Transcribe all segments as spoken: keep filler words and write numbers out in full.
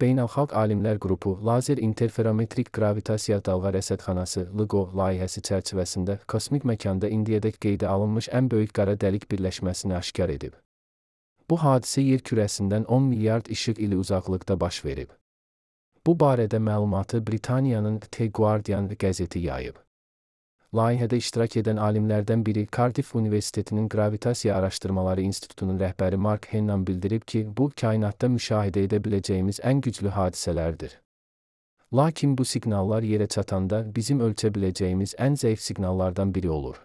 Beynəlxalq Alimlər Qrupu Lazer İnterferometrik Qravitasiya Dalğa Rəsədxanası LIGO layihəsi çərçivəsində kosmik məkanda indiyədək qeydə alınmış ən böyük qara dəlik birləşməsini aşkar edib. Bu hadisə yer kürəsindən on milyard işıq ili uzaqlıqda baş verib. Bu barədə məlumatı Britaniyanın The Guardian qəzeti yayıb. Layihədə iştirak edən alimlərdən biri Cardiff Universitetinin Qravitasiya Araşdırmaları İnstitutunun rəhbəri Mark Hennan bildirib ki, bu, kainatda müşahidə edə biləcəyimiz ən güclü hadisələrdir. Lakin bu siqnallar yerə çatanda bizim ölçə biləcəyimiz ən zəif siqnallardan biri olur.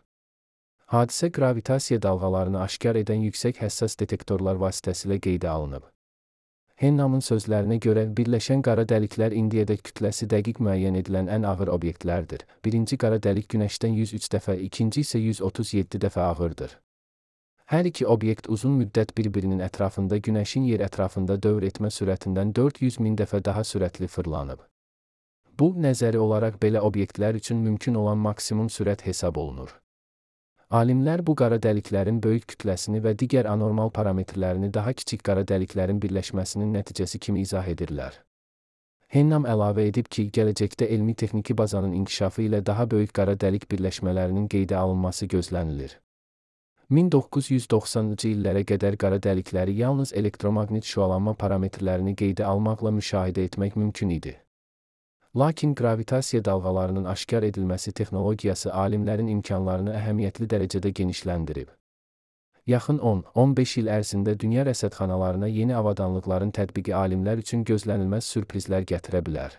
Hadisə qravitasiya dalğalarını aşkar edən yüksək həssas detektorlar vasitəsilə qeydə alınıb. Hennamın sözlərinə görə, birləşən qara dəliklər indiyədək kütləsi dəqiq müəyyən edilən ən ağır obyektlərdir. Birinci qara dəlik Günəşdən yüz üç dəfə, ikinci isə yüz otuz yeddi dəfə ağırdır. Hər iki obyekt uzun müddət bir-birinin ətrafında Günəşin yer ətrafında dövr etmə sürətindən dörd yüz min dəfə daha sürətli fırlanıb. Bu, nəzəri olaraq belə obyektlər üçün mümkün olan maksimum sürət hesab olunur. Alimlər bu qara dəliklərin böyük kütləsini və digər anormal parametrlərini daha kiçik qara dəliklərin birləşməsinin nəticəsi kimi izah edirlər. Hennam əlavə edib ki, gələcəkdə elmi-texniki bazanın inkişafı ilə daha böyük qara dəlik birləşmələrinin qeydə alınması gözlənilir. min doqquz yüz doxsanıncı illərə qədər qara dəlikləri yalnız elektromaqnit şüalanma parametrlərini qeydə almaqla müşahidə etmək mümkün idi. Lakin qravitasiya dalğalarının aşkar edilməsi texnologiyası alimlərin imkanlarını əhəmiyyətli dərəcədə genişləndirib. Yaxın on on beş il ərzində dünya rəsədxanalarına yeni avadanlıqların tətbiqi alimlər üçün gözlənilməz sürprizlər gətirə bilər.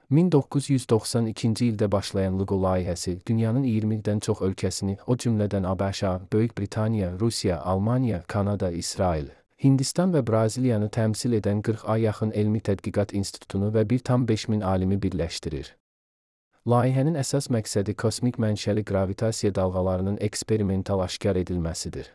min doqquz yüz doxsan ikinci ildə başlayan LIGO layihəsi dünyanın iyirmidən çox ölkəsini, o cümlədən ABŞ, Böyük Britaniya, Rusiya, Almaniya, Kanada, İsrail, Hindistan və Braziliyanı təmsil edən qırxa yaxın elmi tədqiqat institutunu və bir tam beş min alimi birləşdirir. Layihənin əsas məqsədi kosmik mənşəli qravitasiya dalğalarının eksperimental aşkar edilməsidir.